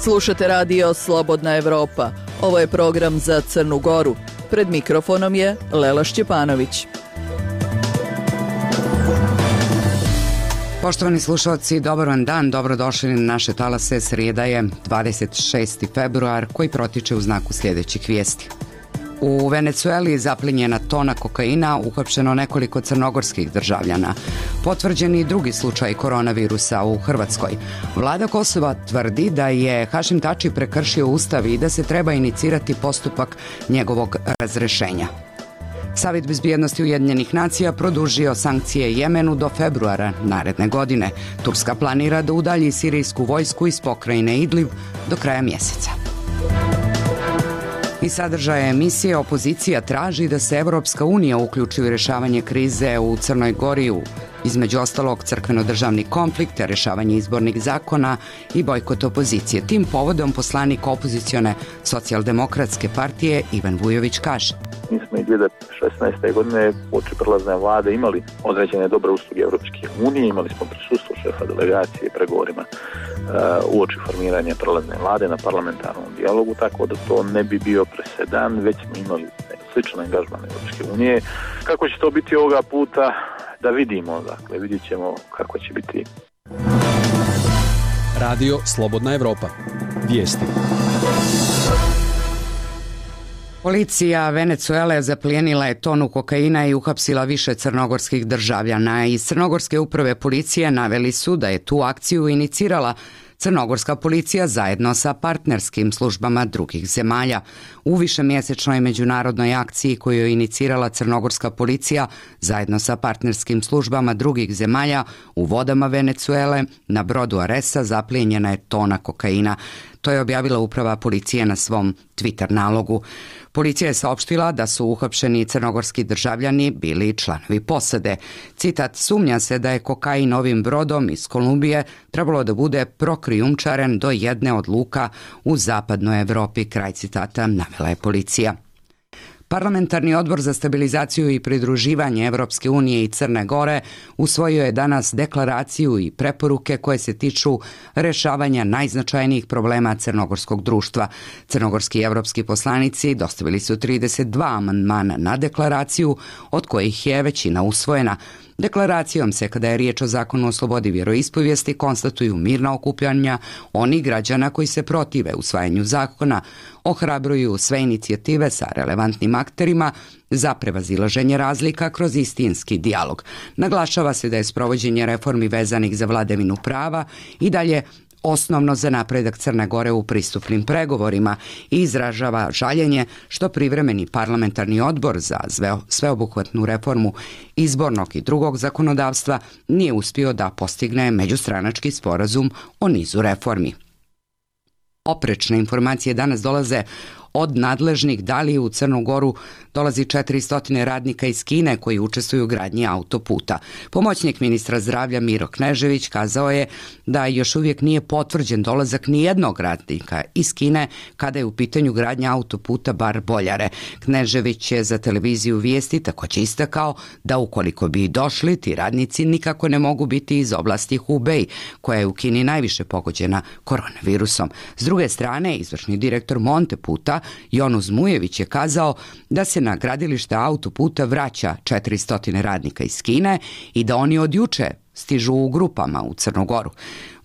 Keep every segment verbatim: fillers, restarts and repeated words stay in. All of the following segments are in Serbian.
Slušate radio Slobodna Evropa. Ovo je program za Crnu Goru. Pred mikrofonom je Lela Šćepanović. Poštovani slušalci, dobar vam dan, dobrodošli na naše talase. Srijeda je dvadeset šesti februar koji protiče u znaku sljedećih vijesti. U Venecueli zaplinjena tona kokaina, uhapšeno nekoliko crnogorskih državljana. Potvrđeni drugi slučaj koronavirusa u Hrvatskoj. Vlada Kosova tvrdi da je Hašim Tači prekršio ustav i da se treba inicirati postupak njegovog razrešenja. Savjet bezbjednosti Ujedinjenih nacija produžio sankcije Jemenu do februara naredne godine. Turska planira da udalji sirijsku vojsku iz pokrajine Idlib do kraja mjeseca. Iz sadržaja emisije opozicija traži da se Evropska unija uključi u rješavanje krize u Crnoj Gori, između ostalog crkveno-državni konflikt, rješavanje izbornih zakona i bojkot opozicije. Tim povodom poslanik opozicione socijaldemokratske partije Ivan Vujović kaže: Mi smo i dvije tisuće šesnaeste. godine uoči prelazne vlade imali određene dobre usluge Evropske unije, imali smo prisustvo šefa delegacije i pregovorima uh, uoči formiranja prelazne vlade na parlamentarnom dijalogu, tako da to ne bi bio presedan, već smo imali sličan angažman Evropske unije. Kako će to biti ovoga puta, da vidimo, dakle, vidjet ćemo kako će biti. Radio Slobodna Evropa. Vijesti. Policija Venecuele zaplijenila je tonu kokaina i uhapsila više crnogorskih državljana. Iz Crnogorske uprave policije naveli su da je tu akciju inicirala crnogorska policija zajedno sa partnerskim službama drugih zemalja. U višemjesečnoj međunarodnoj akciji koju je inicirala crnogorska policija zajedno sa partnerskim službama drugih zemalja u vodama Venecuele na brodu Aresa zaplijenjena je tona kokaina. To je objavila uprava policije na svom Twitter nalogu. Policija je saopštila da su uhapšeni crnogorski državljani bili članovi posade. Citat: sumnja se da je kokain ovim brodom iz Kolumbije trebalo da bude prokrijumčaren do jedne od luka u zapadnoj Evropi. Kraj citata, navela je policija. Parlamentarni odbor za stabilizaciju i pridruživanje Evropske unije i Crne Gore usvojio je danas deklaraciju i preporuke koje se tiču rješavanja najznačajnijih problema crnogorskog društva. Crnogorski evropski poslanici dostavili su trideset dva amandmana na deklaraciju, od kojih je većina usvojena. Deklaracijom se, kada je riječ o zakonu o slobodi vjeroispovijesti, konstatuju mirna okupljanja onih građana koji se protive usvajanju zakona, ohrabruju sve inicijative sa relevantnim akterima za prevazilaženje razlika kroz istinski dijalog. Naglašava se da je sprovođenje reformi vezanih za vladavinu prava i dalje osnovno za napredak Crne Gore u pristupnim pregovorima i izražava žaljenje što privremeni parlamentarni odbor za sveobuhvatnu reformu izbornog i drugog zakonodavstva nije uspio da postigne međustranački sporazum o nizu reformi. Oprečne informacije danas dolaze od nadležnih da li u Crnu Goru dolazi četiristo radnika iz Kine koji učestvuju u gradnji autoputa. Pomoćnik ministra zdravlja Miro Knežević kazao je da još uvijek nije potvrđen dolazak ni jednog radnika iz Kine kada je u pitanju gradnja autoputa Bar-Boljare. Knežević je za televiziju Vijesti također istakao da ukoliko bi došli, ti radnici nikako ne mogu biti iz oblasti Hubei, koja je u Kini najviše pogođena koronavirusom. S druge strane, izvršni direktor Monteputa Jonuz Mujević je kazao da se na gradilište autoputa vraća četiristo radnika iz Kine i da oni od juče stižu u grupama u Crnu Goru.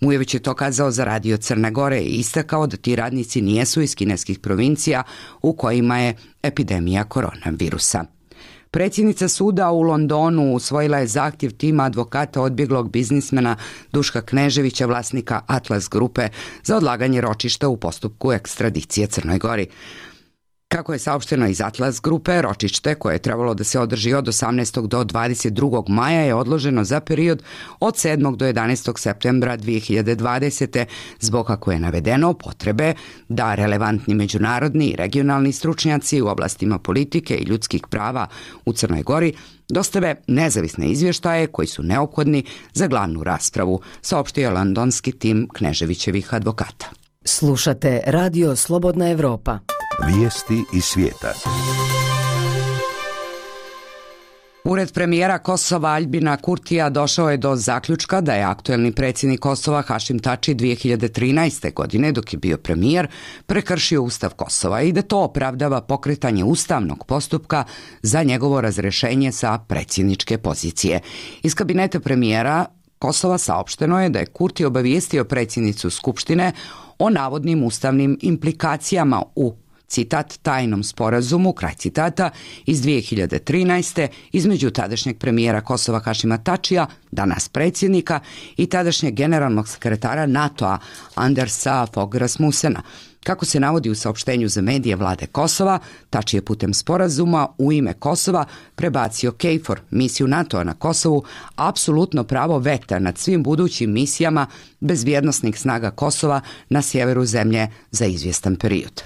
Mujević je to kazao za Radio Crne Gore i istakao da ti radnici nijesu iz kineskih provincija u kojima je epidemija koronavirusa. Predsjednica suda u Londonu usvojila je zahtjev tima advokata odbjeglog biznismena Duška Kneževića, vlasnika Atlas grupe, za odlaganje ročišta u postupku ekstradicije Crnoj Gori. Kako je saopšteno iz Atlas grupe, ročište koje je trebalo da se održi od osamnaestog do dvadeset drugog maja je odloženo za period od sedmog do jedanaestog septembra dvije hiljade dvadesete zbog, kako je navedeno, potrebe da relevantni međunarodni i regionalni stručnjaci u oblastima politike i ljudskih prava u Crnoj Gori dostave nezavisne izvještaje koji su neophodni za glavnu raspravu, saopštio londonski tim Kneževićevih advokata. Slušate Radio Slobodna Evropa. Vijesti iz svijeta. Ured premijera Kosova Aljbina Kurtija došao je do zaključka da je aktuelni predsjednik Kosova Hašim Tači dvije hiljade trinaeste. godine, dok je bio premijer, prekršio Ustav Kosova i da to opravdava pokretanje ustavnog postupka za njegovo razrešenje sa predsjedničke pozicije. Iz kabineta premijera Kosova saopšteno je da je Kurti obavijestio predsjednicu Skupštine o navodnim ustavnim implikacijama u citat, tajnom sporazumu, kraj citata, iz dvije hiljade trinaeste. između tadašnjeg premijera Kosova Hašima Tačija, danas predsjednika, i tadašnjeg generalnog sekretara NATO-a Andersa Fogh Rasmussena. Kako se navodi u saopštenju za medije vlade Kosova, Tači je putem sporazuma u ime Kosova prebacio KFOR, misiju NATO-a na Kosovu, apsolutno pravo veta nad svim budućim misijama bezbjednosnih snaga Kosova na sjeveru zemlje za izvjestan period.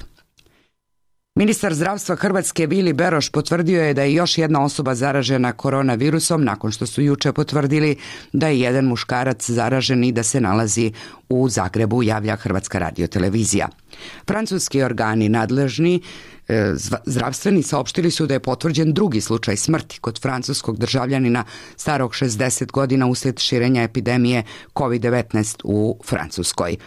Ministar zdravstva Hrvatske Vili Beroš potvrdio je da je još jedna osoba zaražena koronavirusom nakon što su juče potvrdili da je jedan muškarac zaražen i da se nalazi u Zagrebu, javlja Hrvatska radiotelevizija. Francuski organi nadležni e, zdravstveni saopštili su da je potvrđen drugi slučaj smrti kod francuskog državljanina starog šezdeset godina uslijed širenja epidemije kovid devetnaest u Francuskoj.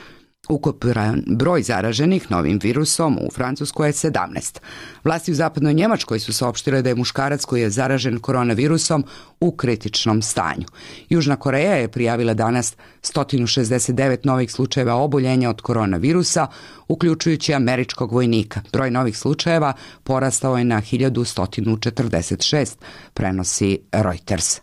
Ukupan broj zaraženih novim virusom u Francuskoj je sedamnaest. Vlasti u zapadnoj Njemačkoj su saopštile da je muškarac koji je zaražen koronavirusom u kritičnom stanju. Južna Koreja je prijavila danas sto šezdeset devet novih slučajeva oboljenja od koronavirusa, uključujući američkog vojnika. Broj novih slučajeva porastao je na hiljadu sto četrdeset šest, prenosi Reuters.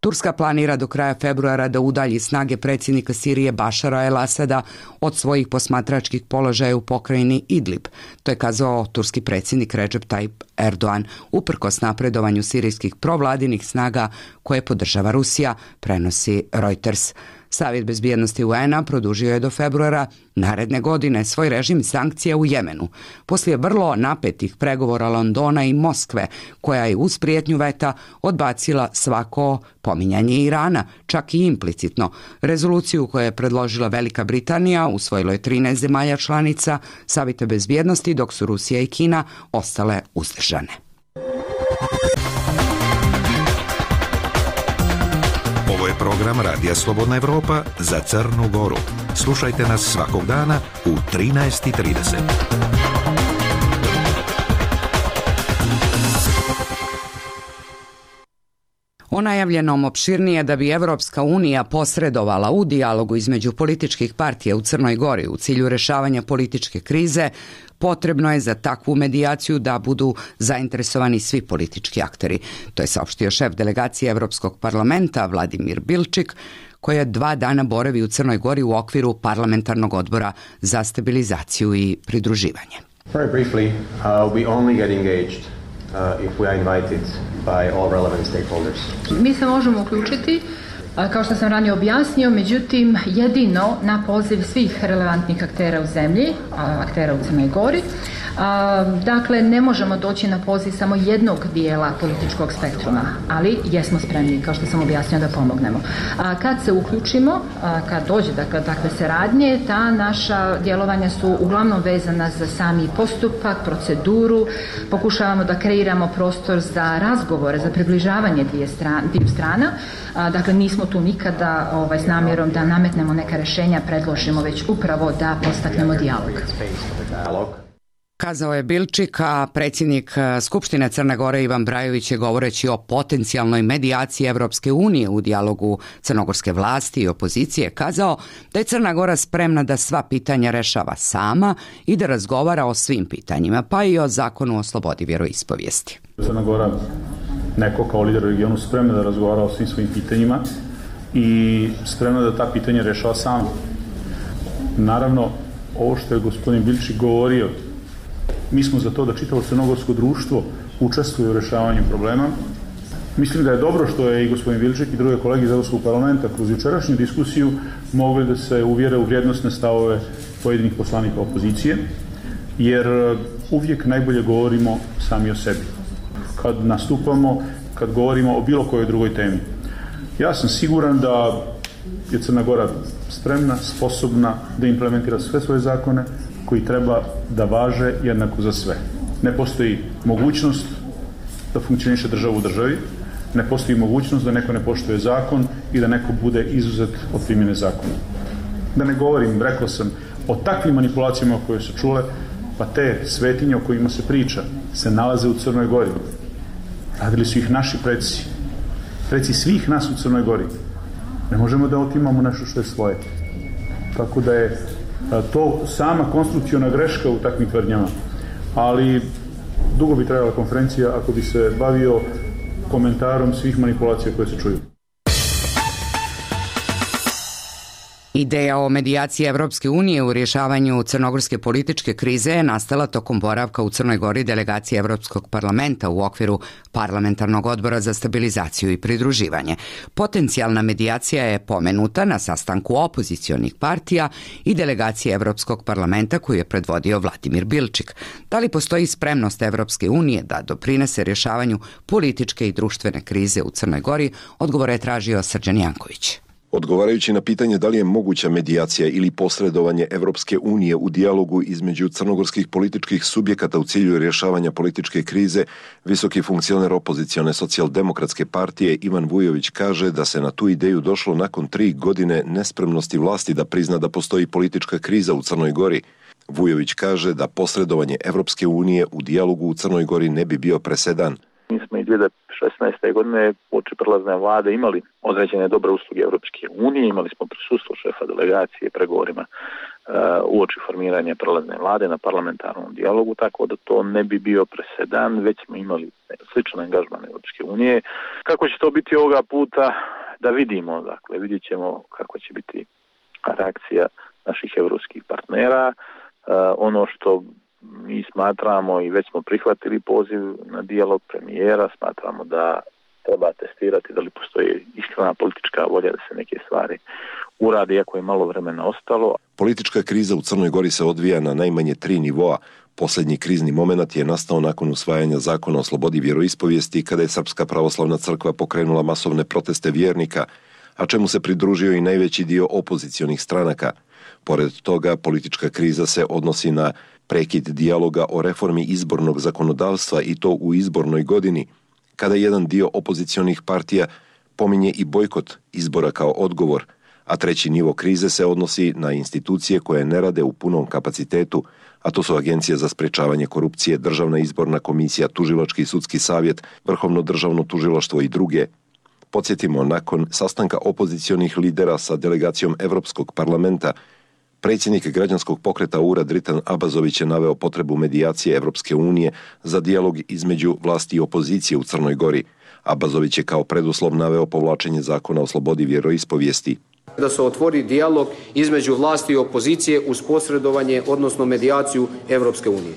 Turska planira do kraja februara da udalji snage predsjednika Sirije Bašara el-Asada od svojih posmatračkih položaja u pokrajini Idlib. To je kazao turski predsjednik Recep Tayyip Erdogan uprkos napredovanju sirijskih provladinih snaga koje podržava Rusija, prenosi Reuters. Savjet bezbjednosti U N-a produžio je do februara naredne godine svoj režim sankcija u Jemenu. Poslije vrlo napetih pregovora Londona i Moskve, koja je uz prijetnju veta odbacila svako pominjanje Irana, čak i implicitno. Rezoluciju koju je predložila Velika Britanija usvojilo je trinaest zemalja članica Savjeta bezbjednosti, dok su Rusija i Kina ostale uzdržane. Ovo je program Radija Slobodna Evropa za Crnu Goru. Slušajte nas svakog dana u trinaest i trideset. O najavljenom opširnije da bi Evropska unija posredovala u dijalogu između političkih partija u Crnoj Gori u cilju rješavanja političke krize, potrebno je za takvu medijaciju da budu zainteresovani svi politički akteri. To je saopštio šef delegacije Evropskog parlamenta Vladimir Bilčik, koji je dva dana boravi u Crnoj Gori u okviru parlamentarnog odbora za stabilizaciju i pridruživanje. Very briefly, uh, we only get engaged uh, if we are invited by all relevant stakeholders. Mi se možemo uključiti, kao što sam ranije objasnio, međutim jedino na poziv svih relevantnih aktera u zemlji, aktera u Crnoj Gori. Dakle, ne možemo doći na poziv samo jednog dijela političkog spektruma, ali jesmo spremni, kao što sam objasnio, da pomognemo. Kad se uključimo, kad dođe dakle, takve saradnje, ta naša djelovanja su uglavnom vezana za sami postupak, proceduru, pokušavamo da kreiramo prostor za razgovore, za približavanje dvije strana, dviju strana. Dakle, nismo tu nikada ovaj, s namjerom da nametnemo neka rješenja, predložimo, već upravo da postaknemo dijalog. Kazao je Bilčik, a predsjednik Skupštine Crne Gore Ivan Brajović je govoreći o potencijalnoj medijaciji Evropske unije u dijalogu crnogorske vlasti i opozicije kazao da je Crna Gora spremna da sva pitanja rešava sama i da razgovara o svim pitanjima, pa i o zakonu o slobodi vjeroispovijesti. Crna Gora neko kao lider u regionu spremna da razgovara o svim svojim pitanjima i spremna da ta pitanja rešava sama. Naravno, ovo što je gospodin Bilčik govorio, mi smo za to da čitavo crnogorsko društvo učestvuje u rešavanju problema. Mislim da je dobro što je i gospodin Bilčik i druge kolege iz Evropskog parlamenta kroz jučerašnju diskusiju mogli da se uvjere u vrijednosne stavove pojedinih poslanika opozicije, jer uvijek najbolje govorimo sami o sebi. Kad nastupamo, kad govorimo o bilo kojoj drugoj temi. Ja sam siguran da je Crna Gora spremna, sposobna da implementira sve svoje zakone koji treba da važe jednako za sve. Ne postoji mogućnost da funkcioniše država u državi, ne postoji mogućnost da neko ne poštuje zakon i da neko bude izuzet od primjene zakona. Da ne govorim, rekao sam, o takvim manipulacijama koje su čule, pa te svetinje o kojima se priča se nalaze u Crnoj Gori. Radili su ih naši preci, preci svih nas u Crnoj Gori. Ne možemo da otimamo nešto što je svoje. Tako da je to sama konstrukcijona greška u takvim tvrdnjama. Ali dugo bi trajala konferencija ako bi se bavio komentarom svih manipulacija koje se čuju. Ideja o medijaciji Evropske unije u rješavanju crnogorske političke krize je nastala tokom boravka u Crnoj Gori delegacije Evropskog parlamenta u okviru Parlamentarnog odbora za stabilizaciju i pridruživanje. Potencijalna medijacija je pomenuta na sastanku opozicionih partija i delegacije Evropskog parlamenta koju je predvodio Vladimir Bilčik. Da li postoji spremnost Evropske unije da doprinese rješavanju političke i društvene krize u Crnoj Gori, odgovor je tražio Srđan Janković. Odgovarajući na pitanje da li je moguća medijacija ili posredovanje Evropske unije u dijalogu između crnogorskih političkih subjekata u cilju rješavanja političke krize, visoki funkcioner opozicione socijaldemokratske partije Ivan Vujović kaže da se na tu ideju došlo nakon tri godine nespremnosti vlasti da prizna da postoji politička kriza u Crnoj Gori. Vujović kaže da posredovanje Evropske unije u dijalogu u Crnoj Gori ne bi bio presedan. Mi smo i dvije hiljade šesnaeste. godine uoči prelazne vlade imali određene dobre usluge Evropske unije, imali smo prisustvo šefa delegacije pregovorima uh, uoči formiranja prelazne vlade na parlamentarnom dijalogu, tako da to ne bi bio presedan, već smo imali sličan angažman Evropske unije. Kako će to biti ovoga puta, da vidimo, dakle, vidjet ćemo kako će biti reakcija naših evropskih partnera. Uh, ono što mi smatramo i već smo prihvatili poziv na dijalog premijera, smatramo da treba testirati da li postoji iskrena politička volja da se neke stvari urade, iako je malo vremena ostalo. Politička kriza u Crnoj Gori se odvija na najmanje tri nivoa. Posljednji krizni moment je nastao nakon usvajanja zakona o slobodi vjeroispovijesti kada je Srpska pravoslavna crkva pokrenula masovne proteste vjernika, a čemu se pridružio i najveći dio opozicionih stranaka. Pored toga, politička kriza se odnosi na prekid dijaloga o reformi izbornog zakonodavstva i to u izbornoj godini, kada jedan dio opozicionih partija pominje i bojkot izbora kao odgovor, a treći nivo krize se odnosi na institucije koje ne rade u punom kapacitetu, a to su Agencija za sprečavanje korupcije, Državna izborna komisija, Tužilački i sudski savjet, Vrhovno državno tužilaštvo i druge. Podsjetimo, nakon sastanka opozicionih lidera sa delegacijom Evropskog parlamenta, predsjednik građanskog pokreta U R A Dritan Abazović je naveo potrebu medijacije Evropske unije za dijalog između vlasti i opozicije u Crnoj Gori. Abazović je kao preduslov naveo povlačenje zakona o slobodi vjeroispovijesti. Da se otvori dijalog između vlasti i opozicije uz posredovanje, odnosno medijaciju Evropske unije.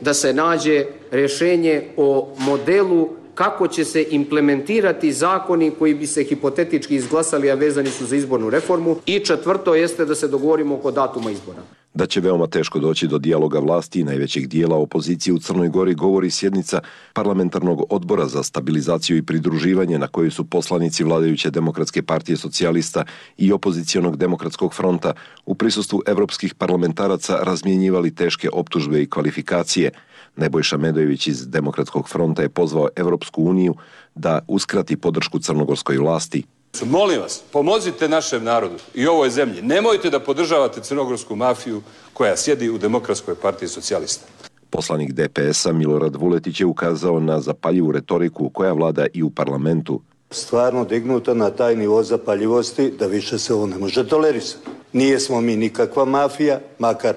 Da se nađe rješenje o modelu kako će se implementirati zakoni koji bi se hipotetički izglasali, a vezani su za izbornu reformu. I četvrto jeste da se dogovorimo oko datuma izbora. Da će veoma teško doći do dijaloga vlasti i najvećeg dijela opozicije u Crnoj Gori govori sjednica Parlamentarnog odbora za stabilizaciju i pridruživanje na kojoj su poslanici vladajuće Demokratske partije socijalista i opozicionog Demokratskog fronta u prisustvu evropskih parlamentaraca razmjenjivali teške optužbe i kvalifikacije. Nebojša Medojević iz Demokratskog fronta je pozvao Evropsku uniju da uskrati podršku crnogorskoj vlasti. Molim vas, pomozite našem narodu i ovoj zemlji. Nemojte da podržavate crnogorsku mafiju koja sjedi u Demokratskoj partiji socijalista. Poslanik D P S-a Milorad Vuletić je ukazao na zapaljivu retoriku koja vlada i u parlamentu. Stvarno dignuta na taj nivo zapaljivosti da više se ovo ne može tolerisati. Nije smo mi nikakva mafija, makar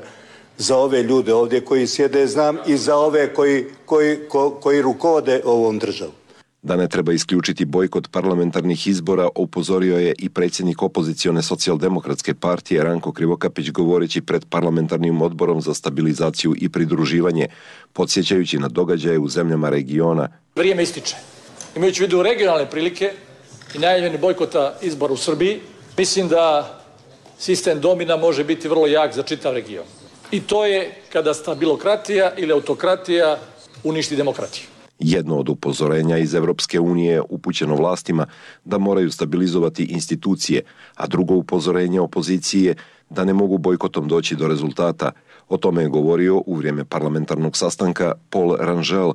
za ove ljude ovdje koji sjede znam i za ove koji, koji, ko, koji rukovode ovom državom. Da ne treba isključiti bojkot parlamentarnih izbora, upozorio je i predsjednik opozicione socijaldemokratske partije Ranko Krivokapić govoreći pred parlamentarnim odborom za stabilizaciju i pridruživanje, podsjećajući na događaje u zemljama regiona. Vrijeme ističe. Imajući u vidu regionalne prilike i najavljeni bojkota izbora u Srbiji, mislim da sistem domina može biti vrlo jak za čitav region. I to je kada stabilokratija ili autokratija uništi demokratiju. Jedno od upozorenja iz Evropske unije upućeno vlastima da moraju stabilizovati institucije, a drugo upozorenje opozicije da ne mogu bojkotom doći do rezultata. O tome je govorio u vrijeme parlamentarnog sastanka Paul Rangel,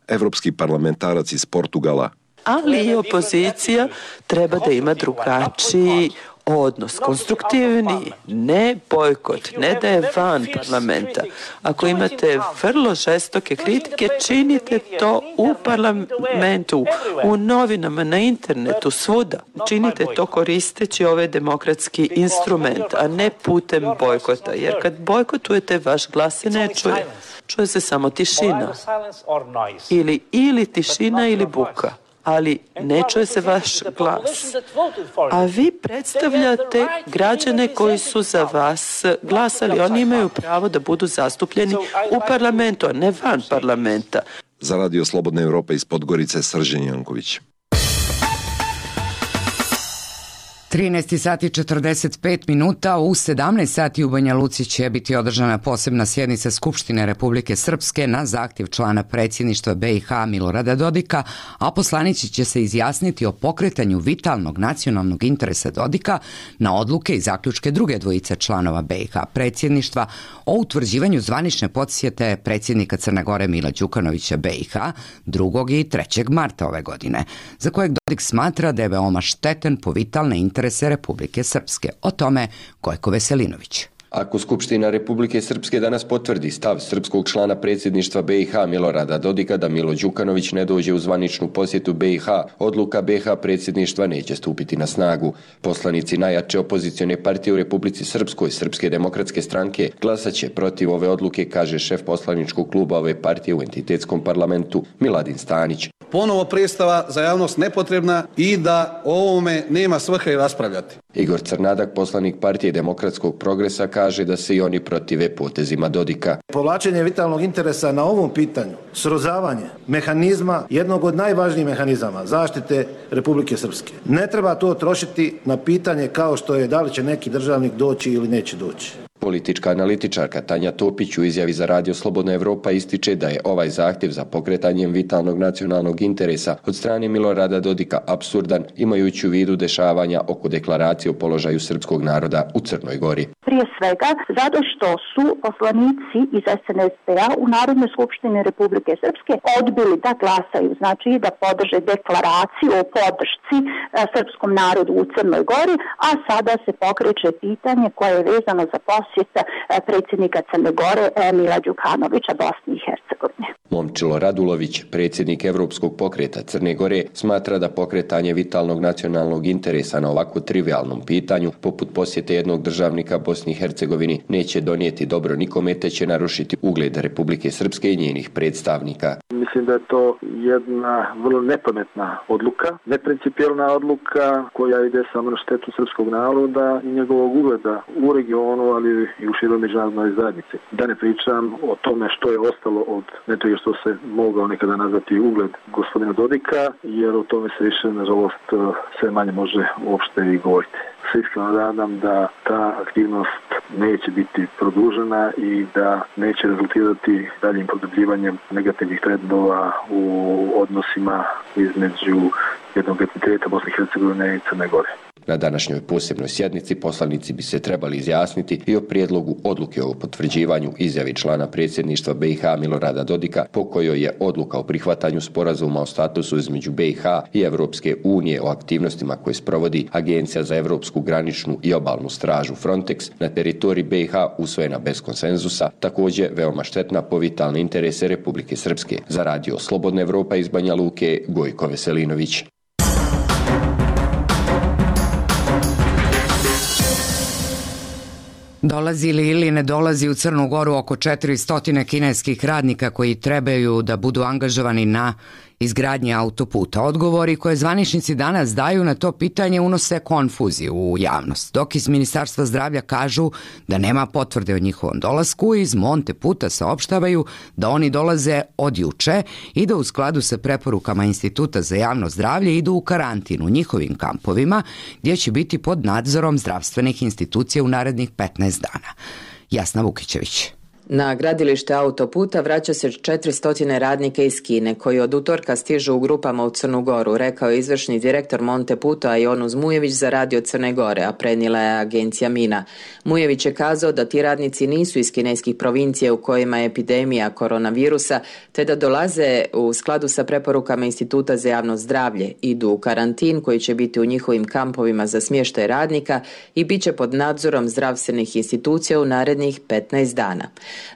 evropski parlamentarac iz Portugala. Ali i opozicija treba da ima drugačiji odnos, konstruktivni, ne bojkot, ne da je van parlamenta. Ako imate vrlo žestoke kritike, činite to u parlamentu, u novinama, na internetu, svuda. Činite to koristeći ovaj demokratski instrument, a ne putem bojkota, jer kad bojkotujete, vaš glas se ne čuje. Čuje se samo tišina. Ili, ili tišina ili buka. Ali ne čuje se vaš glas. A vi predstavljate građane koji su za vas glasali. Oni imaju pravo da budu zastupljeni u parlamentu, a ne van parlamenta. Za Radio Slobodna Evropa iz Podgorice, Srđan Janković. trinaest sati četrdeset pet minuta, u sedamnaest sati u Banja Luci će biti održana posebna sjednica Skupštine Republike Srpske na zahtjev člana predsjedništva B i H Milorada Dodika, a poslanici će se izjasniti o pokretanju vitalnog nacionalnog interesa Dodika na odluke i zaključke druge dvojice članova B i H predsjedništva o utvrđivanju zvanične posjete predsjednika Crne Gore Mila Đukanovića B i H drugog i trećeg marta ove godine, za kojeg Dodik smatra da je veoma štetan po vitalne interese Republike Srpske. O tome Gojko Veselinović. Ako Skupština Republike Srpske danas potvrdi stav srpskog člana predsjedništva B i H Milorada Dodika da Milo Đukanović ne dođe u zvaničnu posjetu B i H, odluka B i H predsjedništva neće stupiti na snagu. Poslanici najjače opozicione partije u Republici Srpskoj, Srpske demokratske stranke, glasaće protiv ove odluke, kaže šef poslaničkog kluba ove partije u entitetskom parlamentu Miladin Stanić. Ponovo predstava za javnost nepotrebna i da o ovome nema svrhe raspravljati. Igor Crnadak, poslanik partije Demokratskog progresa, kaže da se i oni protive potezima Dodika. Povlačenje vitalnog interesa na ovom pitanju, srozavanje mehanizma, jednog od najvažnijih mehanizama zaštite Republike Srpske. Ne treba to trošiti na pitanje kao što je da li će neki državnik doći ili neće doći. Politička analitičarka Tanja Topić u izjavi za Radio Slobodna Evropa ističe da je ovaj zahtjev za pokretanjem vitalnog nacionalnog interesa od strane Milorada Dodika apsurdan, imajući u vidu dešavanja oko deklaracije o položaju srpskog naroda u Crnoj Gori. Prije svega zato što su poslanici iz S N S P-a u Narodnoj skupštini Republike Srpske odbili da glasaju, znači da podrže deklaraciju o podršci srpskom narodu u Crnoj Gori, a sada se pokreće pitanje koje je vezano za posjeta predsjednika Crne Gore Mila Đukanovića Bosni i Hercegovine. Momčilo Radulović, predsjednik Evropskog pokreta Crne Gore, smatra da pokretanje vitalnog nacionalnog interesa na ovako trivialnom pitanju, poput posjete jednog državnika Bosni i Hercegovini, neće donijeti dobro nikome, te će narušiti ugled Republike Srpske i njenih predstavnika. Mislim da je to jedna vrlo nepametna odluka, neprincipijelna odluka koja ide samo na štetu srpskog naroda i njegovog ugleda u regionu, ali i u široj međunarodnoj zajednici. Da ne pričam o tome što je ostalo od nečega što se mogao nekada nazvati ugled gospodina Dodika, jer o tome se više, nažalost, sve manje može uopšte i govoriti. Se iskreno nadam da ta aktivnost neće biti produžena i da neće rezultirati daljim produbljivanjem negativnih trendova u odnosima između jednog entiteta Bosne i Hercegovine i Crne Gore. Na današnjoj posebnoj sjednici poslanici bi se trebali izjasniti i o prijedlogu odluke o potvrđivanju izjavi člana predsjedništva B i H Milorada Dodika, po kojoj je odluka o prihvatanju sporazuma o statusu između B i H i Evropske unije o aktivnostima koje sprovodi Agencija za evropsku graničnu i obalnu stražu Frontex na teritoriji B i H usvojena bez konsenzusa, također veoma štetna po vitalne interese Republike Srpske. Za Radio Slobodna Evropa iz Banja Luke, Gojko Veselinović. Dolazi li ili ne dolazi u Crnu Goru oko četiristo kineskih radnika koji trebaju da budu angažovani na izgradnji autoputa? Odgovori koje zvaničnici danas daju na to pitanje unose konfuziju u javnost, dok iz Ministarstva zdravlja kažu da nema potvrde o njihovom dolasku, iz Monte Puta saopštavaju da oni dolaze od juče i da u skladu sa preporukama Instituta za javno zdravlje idu u karantin u njihovim kampovima, gdje će biti pod nadzorom zdravstvenih institucija u narednih petnaest dana. Jasna Vukićević. Na gradilište autoputa vraća se četiristo radnika iz Kine, koji od utorka stižu u grupama u Crnu Goru, rekao je izvršni direktor Monteputa Jonus Mujević za radio Crne Gore, a prenijela je agencija Mina. Mujević je kazao da ti radnici nisu iz kineskih provincija u kojima je epidemija koronavirusa, te da dolaze u skladu sa preporukama Instituta za javno zdravlje, idu u karantin koji će biti u njihovim kampovima za smještaj radnika i bit će pod nadzorom zdravstvenih institucija u narednih petnaest dana.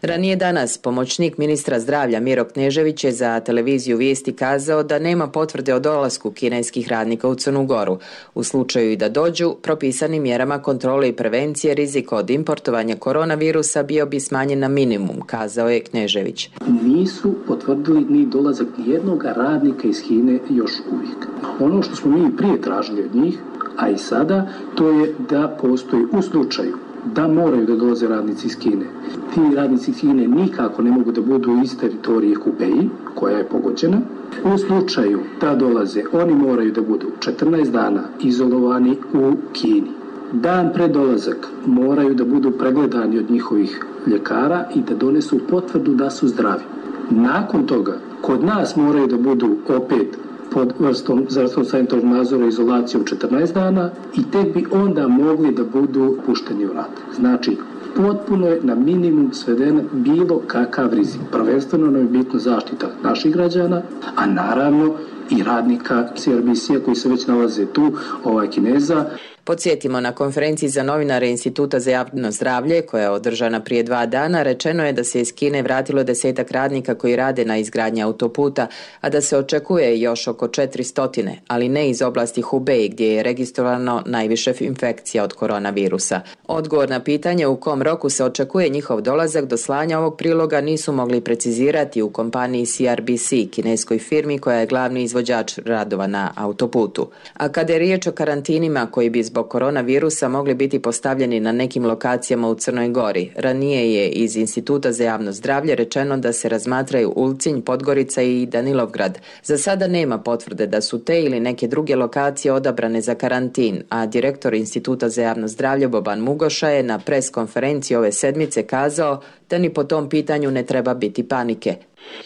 Ranije danas pomoćnik ministra zdravlja Miro Knežević je za televiziju Vijesti kazao da nema potvrde o dolasku kineskih radnika u Crnu Goru. U slučaju i da dođu, propisanim mjerama kontrole i prevencije rizika od importovanja koronavirusa bio bi smanjen na minimum, kazao je Knežević. Nisu potvrdili ni dolazak nijednog radnika iz Kine još uvijek. Ono što smo mi prije tražili od njih, a i sada, to je da postoji u slučaju da moraju da dolaze radnici iz Kine. Ti radnici iz Kine nikako ne mogu da budu iz teritorije Hubeji, koja je pogođena. U slučaju da dolaze, oni moraju da budu četrnaest dana izolovani u Kini. Dan pred dolazak moraju da budu pregledani od njihovih ljekara i da donesu potvrdu da su zdravi. Nakon toga, kod nas moraju da budu opet pod vrstom zdravstvenog sanitarnog nadzora i izolacijom četrnaest dana i tek bi onda mogli da budu pušteni u rad. Znači, potpuno je na minimum sveden bilo kakav rizik. Prvenstveno nam je bitno zaštita naših građana, a naravno i radnika C R B C-a koji se već nalaze tu, ovaj Kineza. Podsjetimo, na konferenciji za novinare Instituta za javno zdravlje, koja je održana prije dva dana, rečeno je da se iz Kine vratilo desetak radnika koji rade na izgradnji autoputa, a da se očekuje još oko četiristo, ali ne iz oblasti Hubei gdje je registrovano najviše infekcija od koronavirusa. Odgovor na pitanje u kom roku se očekuje njihov dolazak do slanja ovog priloga nisu mogli precizirati u kompaniji C R B C, kineskoj firmi koja je glavni izvođač radova na autoputu. A kada je riječ o karantinima koji bi zbog koronavirusa mogli biti postavljeni na nekim lokacijama u Crnoj Gori, ranije je iz Instituta za javno zdravlje rečeno da se razmatraju Ulcinj, Podgorica i Danilovgrad. Za sada nema potvrde da su te ili neke druge lokacije odabrane za karantin, a direktor Instituta za javno zdravlje Boban Mugoša je na pres konferenciji ove sedmice kazao da ni po tom pitanju ne treba biti panike.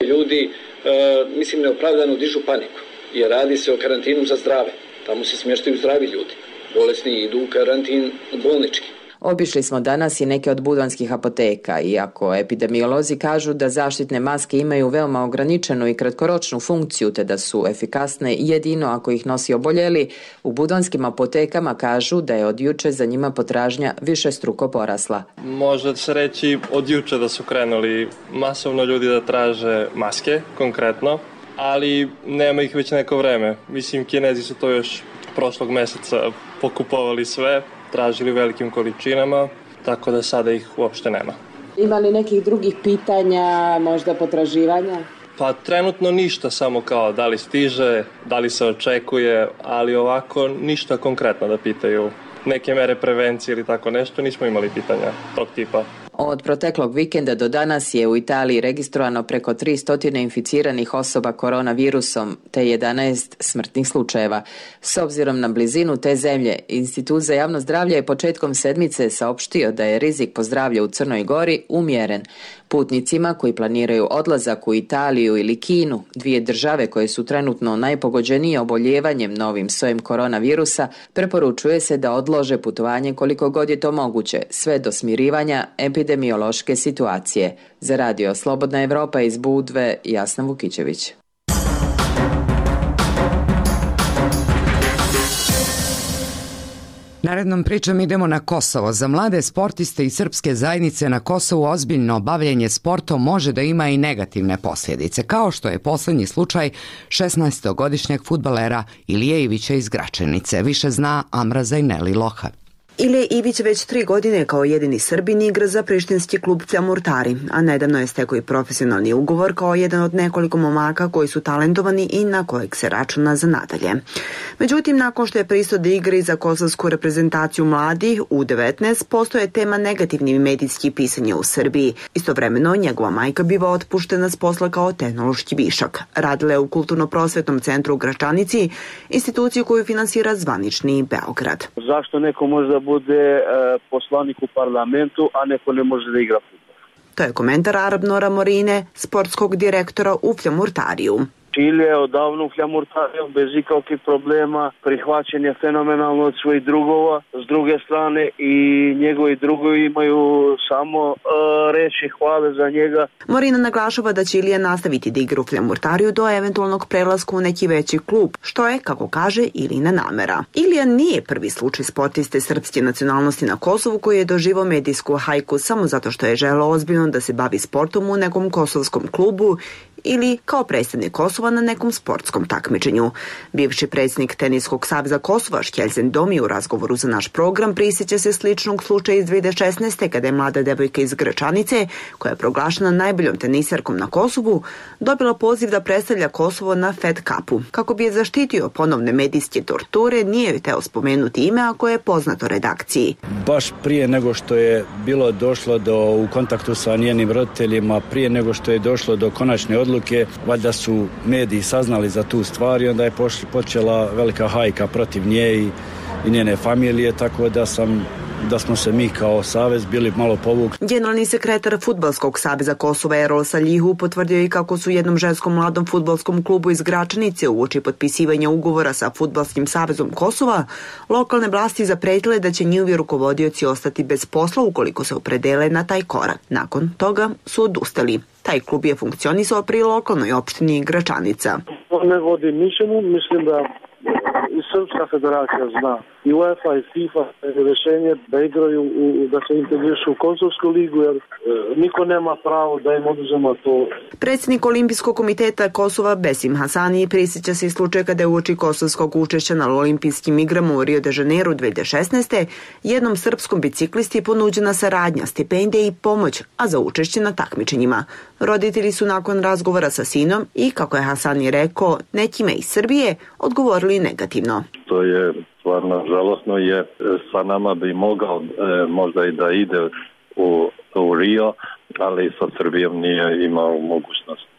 Ljudi, e, mislim, neopravdano dižu paniku, jer radi se o karantinu za zdrave. Tamo se smještaju zdravi ljudi. Bolesni idu u karantin bolnički. Obišli smo danas i neke od budvanskih apoteka, iako epidemiolozi kažu da zaštitne maske imaju veoma ograničenu i kratkoročnu funkciju, te da su efikasne jedino ako ih nosi oboljeli, u budvanskim apotekama kažu da je od juče za njima potražnja višestruko porasla. Može se reći od juče da su krenuli masovno ljudi da traže maske, konkretno, ali nema ih već neko vreme. Mislim, Kinezi su to još prošlog mjeseca pokupovali sve, tražili velikim količinama, tako da sada ih uopšte nema. Ima li nekih drugih pitanja, možda potraživanja? Pa trenutno ništa, samo kao da li stiže, da li se očekuje, ali ovako ništa konkretno da pitaju. Neke mere prevencije ili tako nešto, nismo imali pitanja tog tipa. Od proteklog vikenda do danas je u Italiji registrovano preko tristo inficiranih osoba koronavirusom te jedanaest smrtnih slučajeva. S obzirom na blizinu te zemlje, Institut za javno zdravlje je početkom sedmice saopštio da je rizik po zdravlje u Crnoj Gori umjeren. Putnicima koji planiraju odlazak u Italiju ili Kinu, dvije države koje su trenutno najpogođenije oboljevanjem novim sojem koronavirusa, preporučuje se da odlože putovanje koliko god je to moguće, sve do smirivanja epidemiološke situacije. Za radio Slobodna Evropa iz Budve, Jasna Vukićević. Narednom pričom idemo na Kosovo. Za mlade sportiste i srpske zajednice na Kosovu ozbiljno bavljenje sportom može da ima i negativne posljedice, kao što je posljednji slučaj šesnaestogodišnjeg fudbalera Ilije Ivića iz Gračenice. Više zna Amra Zajneli Loha. Ilije Ivić već tri godine kao jedini Srbin igra za prištinski klub Fljamurtari, a nedavno je stekao i profesionalni ugovor kao jedan od nekoliko momaka koji su talentovani i na kojeg se računa za nadalje. Međutim, nakon što je pristao da igra i za kosovsku reprezentaciju mladih U devetnaest, postoje tema negativnih medijskih pisanja u Srbiji. Istovremeno, njegova majka biva otpuštena s posla kao tehnološki višak. Radila je u Kulturno-prosvetnom centru u Gračanici, instituciju koju finansira zvanični Beograd. Zašto neko može da bude e, poslanik u parlamentu, a neko ne može da igra fudbal? To je komentar Arabnora Morine, sportskog direktora u Fljamurtariju. Čile je odavno u Fljamurtariju bez ikakvih problema, prihvaćen je fenomenalno od svojih drugova, s druge strane i njegovi drugovi imaju samo uh, reći hvale za njega. Morina naglašava da će Ilija nastaviti da igra u Fljamurtariju do eventualnog prelaska u neki veći klub, što je, kako kaže, Ilina namera. Ilija nije prvi slučaj sportiste srpske nacionalnosti na Kosovu koji je doživao medijsku hajku samo zato što je želeo ozbiljno da se bavi sportom u nekom kosovskom klubu ili kao predstavnik Kosova na nekom sportskom takmičenju. Bivši predsjednik Teniskog saveza Kosova Škeljzen Domi u razgovoru za naš program prisjeća se sličnog slučaja iz dve hiljade šesnaeste. kada je mlada devojka iz Gračanice, koja je proglašena najboljom tenisarkom na Kosovu, dobila poziv da predstavlja Kosovo na Fed Cupu. Kako bi je zaštitio ponovne medijske torture, nije joj teo spomenuti ime ako je poznato redakciji. Baš prije nego što je bilo došlo do u kontaktu sa njenim roditeljima, prije nego što je došlo do konačne odluke, valjda su mediji saznali za tu stvar i onda je počela velika hajka protiv nje i, i njene familije, tako da sam da smo se mi kao savez bili malo povukli. Generalni sekretar Fudbalskog saveza Kosova Erol Saljihu potvrdio i kako su jednom ženskom mladom fudbalskom klubu iz Gračanice uoči potpisivanja ugovora sa Fudbalskim savezom Kosova lokalne vlasti zapretile da će njihovi rukovodioci ostati bez posla ukoliko se opredele na taj korak. Nakon toga su odustali. Taj klub je funkcionisao pri lokalnoj opštini Gračanica. Ne vodi mišljenju, mislim da i Srpska federacija zna. I UEFA i FIFA rješenje da igraju, u, da se integrišu u Kosovsku ligu, jer e, niko nema pravo da im oduzema to. Predsjednik Olimpijskog komiteta Kosova Besim Hasani prisjeća se i slučaja kada je uoči kosovskog učešća na olimpijskim igrama u Rio de Janeiro dve hiljade šesnaeste. jednom srpskom biciklisti ponuđena saradnja, stipendija i pomoć, a za učešće na takmičenjima. Roditelji su nakon razgovora sa sinom i, kako je Hasani rekao, nekime iz Srbije odgovorili negativno. To je stvarno žalosno, je sa nama bi mogao e, možda i da ide u, u Rio, ali sa Srbijom nije imao mogućnost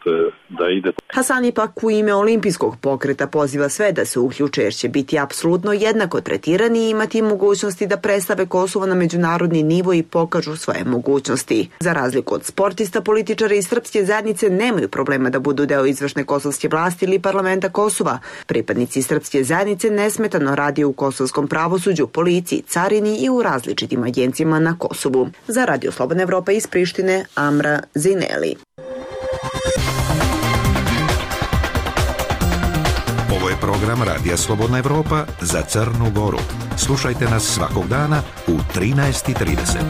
da ide. Hasani pak u ime olimpijskog pokreta poziva sve da se uključe jer će biti apsolutno jednako tretirani i imati mogućnosti da predstave Kosovo na međunarodni nivo i pokažu svoje mogućnosti. Za razliku od sportista, političari iz srpske zajednice nemaju problema da budu deo izvršne kosovske vlasti ili parlamenta Kosova. Pripadnici srpske zajednice nesmetano radi u kosovskom pravosuđu, policiji, carini i u različitim agencijama na Kosovu. Za Radio Slobodna Evropa iz Prištine, Amra Zineli. Ovo je program Radija Slobodna Evropa za Crnu Goru. Slušajte nas svakog dana u trinaest i trideset.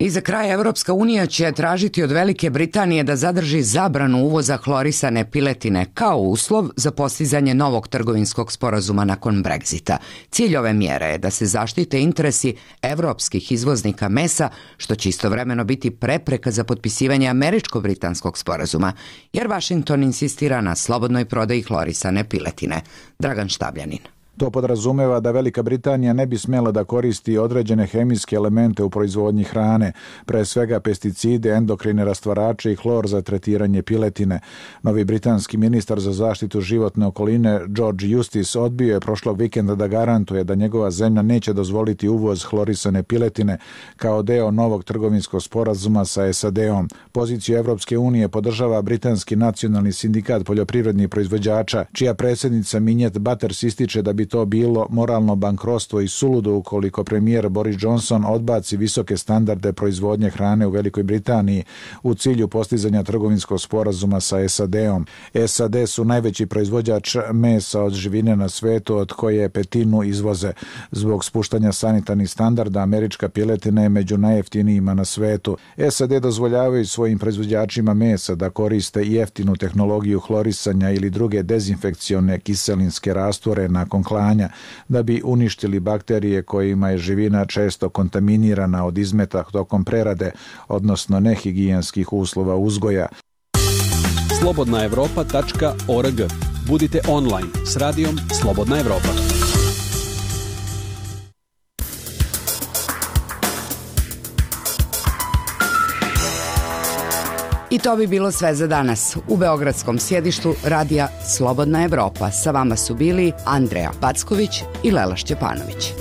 I za kraj Evropska unija će tražiti od Velike Britanije da zadrži zabranu uvoza hlorisane piletine kao uslov za postizanje novog trgovinskog sporazuma nakon Brexita. Cilj ove mjere je da se zaštite interesi evropskih izvoznika mesa, što će istovremeno biti prepreka za potpisivanje američko-britanskog sporazuma, jer Washington insistira na slobodnoj prodaji hlorisane piletine. Dragan Štabljanin. To podrazumeva da Velika Britanija ne bi smjela da koristi određene hemijske elemente u proizvodnji hrane, pre svega pesticide, endokrine rastvarače i hlor za tretiranje piletine. Novi britanski ministar za zaštitu životne okoline George Eustice odbio je prošlog vikenda da garantuje da njegova zemlja neće dozvoliti uvoz hlorisane piletine kao deo novog trgovinskog sporazuma sa S A D-om. Poziciju Evropske unije podržava britanski nacionalni sindikat poljoprivrednih proizvođača, čija predsjednica Minjet Butters ističe da bi to bilo moralno bankrotstvo i suludo ukoliko premijer Boris Johnson odbaci visoke standarde proizvodnje hrane u Velikoj Britaniji u cilju postizanja trgovinskog sporazuma sa S A D-om. S A D su najveći proizvođač mesa od živine na svetu, od koje petinu izvoze. Zbog spuštanja sanitarnih standarda, američka piletina je među najjeftinijima na svetu. S A D dozvoljavaju svojim proizvođačima mesa da koriste jeftinu tehnologiju hlorisanja ili druge dezinfekcione kiselinske rastvore nakon klanja da bi uništili bakterije kojima je živina često kontaminirana od izmeta tokom prerade, odnosno nehigijenskih uslova uzgoja. slobodna evropa tačka org. Budite online s radijom Slobodna Evropa. I to bi bilo sve za danas. U beogradskom sjedištu radija Slobodna Evropa sa vama su bili Andreja Packović i Lela Šćepanović.